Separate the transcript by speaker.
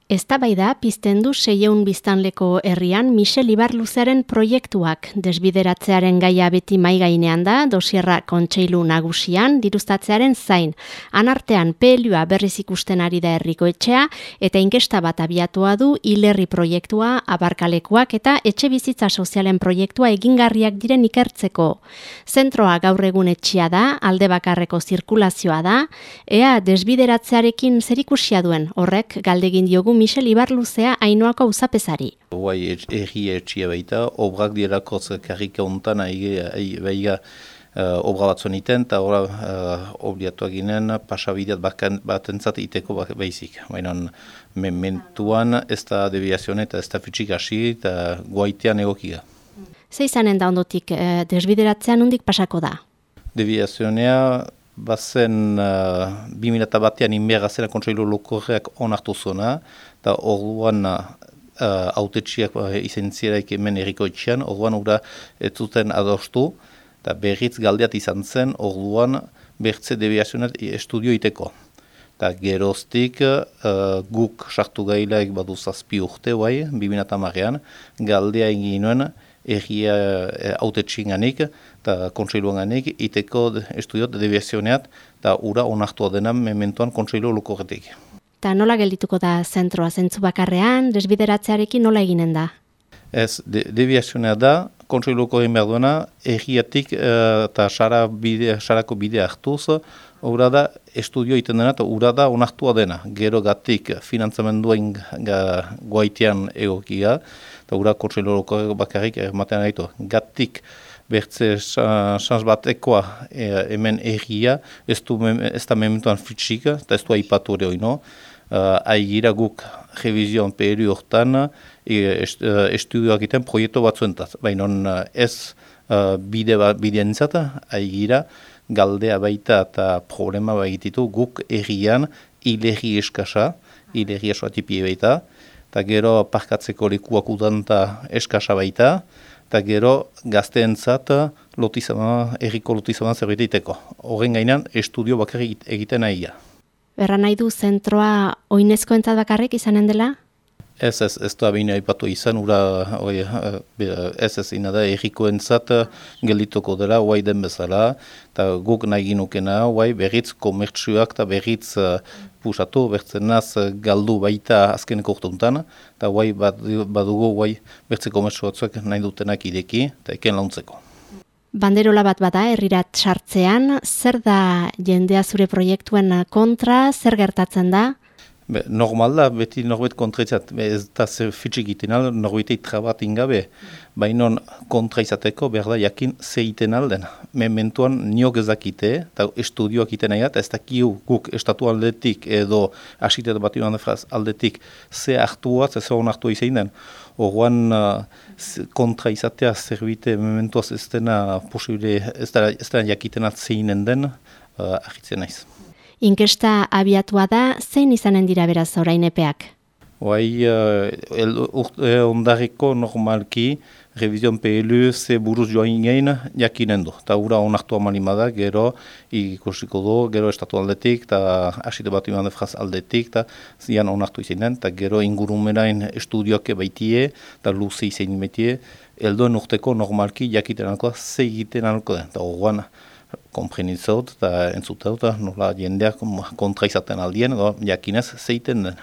Speaker 1: Eztabaida pizten du 600 biztanleko herrian Michel Ibarluzearen proiektuak. Desbideratzearen gaia beti maigainean da, dosierra kontseilu nagusian, dirustatzearen zain. Anartean PLUa berriz ikusten ari da herriko etxea, eta inkesta bat abiatua du hilerri proiektua, abarkalekuak eta etxe bizitza sozialen proiektua egingarriak diren ikertzeko. Zentroa gaur egun etxea da, alde bakarreko zirkulazioa da, ea desbideratzearekin zerikusia duen, horrek galdegin diogu Michel Ibarluzea Ainoako auzapezari.
Speaker 2: Guai erri etxia baita, obrak dirako karrika hontan baiga obra batzuen iten, eta obliatuak ginen pasabideat bat entzat iteko baizik. Baina mementuan ez da deviazione eta ez da fitxik hasi eta guaitean egokia.
Speaker 1: Ze izanen da ondotik desbideratzean nondik pasako da?
Speaker 2: Deviazionea bazen 2001an inbergazena kontseilu lokorreak onartu zona, eta orduan autetxiak izentzieraik hemen erriko etxean, orduan ura ez zuten adostu, eta berriz galdeat izan zen, orduan bertze deviazionat estudio iteko. Eta geroztik guk sartu gailaik badu 7 urte, 2010an, galdea egin nuen, erria autetxinganik eta kontseiluanganik iteko estudiot deviazioneat eta ura onartua dena mementoan kontseilu lokorretik.
Speaker 1: Eta nola geldituko da zentroa, zentzu bakarrean, desbideratzearekin nola eginen da?
Speaker 2: Ez, deviazionea da, kontseilu lokorren behar duena, erriatik eta sarako bidea hartuz, ura da estudio iten dena eta ura da onartua dena. Gero gatik finantzamenduen guaitean egokia, eta ura kontseilu lokorren bakarrik ermatean gaitu. Gatik bertze sans bat ekoa hemen erria, ez da mementuan fitxik, eta ez du aipatu ere hori, aigira guk revizion PLU hortan estudioak iten proiektu batzuentat. Baina ez bidean izata, aigira galdea baita eta problema baititu guk errian hilerri eskasa, hilerri esoatipie baita, eta gero parkatzeko lekuak udanta eskasa baita, eta gero gazteentzat erriko lotizama zerbait iteko. Horren gainean estudio bakarrik egiten nahi.
Speaker 1: Erran nahi du zentroa oinezkoentzat bakarrik izanen dela?
Speaker 2: Ez da behin aipatu izan, ez ina da errikoentzat geldituko dela, den bezala, eta guk nahi ginukena, berriz komertzioak eta berriz pusatu, bertzenaz galdu baita azkeneko urtuntan, eta badugu bertze komertzioak nahi dutenak ideki, eta eken launtzeko.
Speaker 1: Banderola bat bada herrirat sartzean, zer da jendea zure proiektuen kontra, zer gertatzen da?
Speaker 2: Normal da, beti norbait kontraitzat, ez da fitxik iten al, norbaitei trabat ingabe, baina kontra izateko behar da jakin ze iten alden. Mementuan niok ezakite, eta estudioak iten nahi ez dakiu guk estatu aldetik edo asiteat bat aldetik ze hartuaz, ze hon hartua izain den. Horrean kontra izatea zerbite mementuaz ez dena posibile, ez dena jakitenat zeinen den, ahitzen naiz.
Speaker 1: Inkesta abiatua da, zein izanen dira beraz orain epeak?
Speaker 2: Ondarriko normalki, revizion PLU ze buruz joan gain jakinen du. Eta ura onartu amanimada, gero ikusiko du, gero estatu aldetik, eta asite bat iman defraz aldetik, eta zian onartu izinen, eta gero ingurumerain estudioak baitie, eta luze izan baitie, eldoen urteko normalki jakiten alkoa, ze egiten alko den. Eta horrean, komprenitzot eta entzuteot, nola jendeak kontra izaten aldien, jakinez zeiten den.